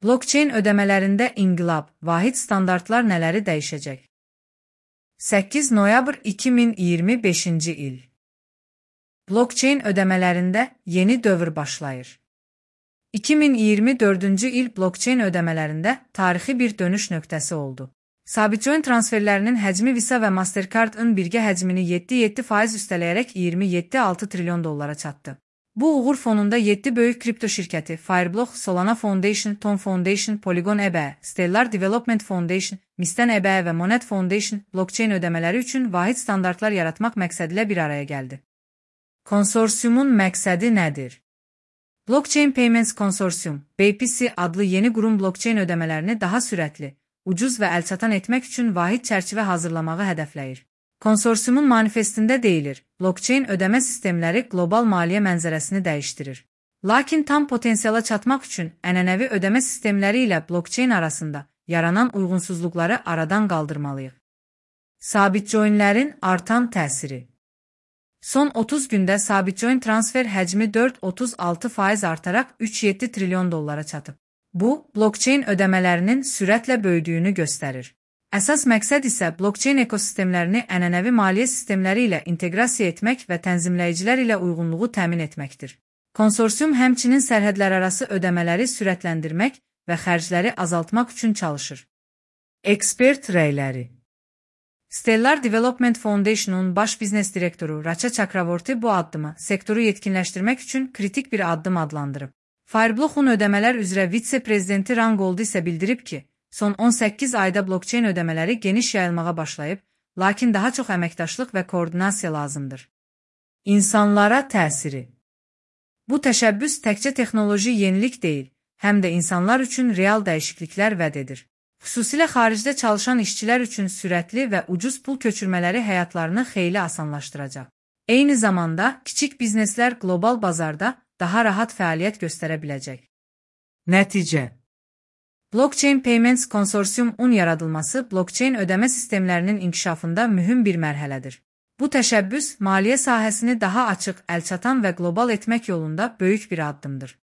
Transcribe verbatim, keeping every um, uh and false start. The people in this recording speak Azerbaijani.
Blockchain ödəmələrində inqilab, vahid standartlar nələri dəyişəcək? səkkiz noyabr iki min iyirmi beşinci il. Blockchain ödəmələrində yeni dövr başlayır. iki min iyirmi dördüncü il blockchain ödəmələrində tarixi bir dönüş nöqtəsi oldu. Sabitcoin transferlərinin həcmi Visa və Mastercard-ın birgə həcmini yeddi nöqtə yeddi faiz üstələyərək iyirmi yeddi nöqtə altı trilyon dollara çatdı. Bu uğur fonunda yeddi böyük kripto şirkəti Fireblock, Solana Foundation, Tom Foundation, Polygon E B E, Stellar Development Foundation, Misten E B E və Monet Foundation blockchain ödəmələri üçün vahid standartlar yaratmaq məqsədilə bir araya gəldi. Konsorsiumun məqsədi nədir? Blockchain Payments Consortium, B P C adlı yeni qurum blockchain ödəmələrini daha sürətli, ucuz və əlçatan etmək üçün vahid çərçivə hazırlamağı hədəfləyir. Konsorsiumun manifestində deyilir, blockchain ödəmə sistemləri qlobal maliyyə mənzərəsini dəyişdirir. Lakin tam potensiala çatmaq üçün ənənəvi ödəmə sistemləri ilə blockchain arasında yaranan uyğunsuzluqları aradan qaldırmalıyıq. Sabitcoinlərin artan təsiri. Son otuz gündə Sabitcoin transfer həcmi dörd nöqtə otuz altı faiz artaraq üç nöqtə yeddi trilyon dollara çatıb. Bu, blockchain ödəmələrinin sürətlə böyüdüyünü göstərir. Əsas məqsəd isə blockchain ekosistemlərini ənənəvi maliyyə sistemləri ilə inteqrasiya etmək və tənzimləyicilər ilə uyğunluğu təmin etməkdir. Konsorsium həmçinin sərhədlərarası ödəmələri sürətləndirmək və xərcləri azaltmaq üçün çalışır. Ekspert rəyləri. Stellar Development Foundation'un baş biznes direktoru Racha Chakravorty bu addımı sektoru yetkinləşdirmək üçün kritik bir addım adlandırıb. Fireblock'un ödəmələr üzrə vitse-prezidenti Ran Gold isə bildirib ki, son on səkkiz ayda blockchain ödəmələri geniş yayılmağa başlayıb, lakin daha çox əməkdaşlıq və koordinasiya lazımdır. İnsanlara təsiri. Bu təşəbbüs təkcə texnoloji yenilik deyil, həm də insanlar üçün real dəyişikliklər vəd edir. Xüsusilə xaricdə çalışan işçilər üçün sürətli və ucuz pul köçürmələri həyatlarını xeyli asanlaşdıracaq. Eyni zamanda, kiçik bizneslər qlobal bazarda daha rahat fəaliyyət göstərə biləcək. Nəticə. Blockchain Payments Consortium-un yaradılması blockchain ödəmə sistemlərinin inkişafında mühüm bir mərhələdir. Bu təşəbbüs, maliyyə sahəsini daha açıq, əlçatan və qlobal etmək yolunda böyük bir addımdır.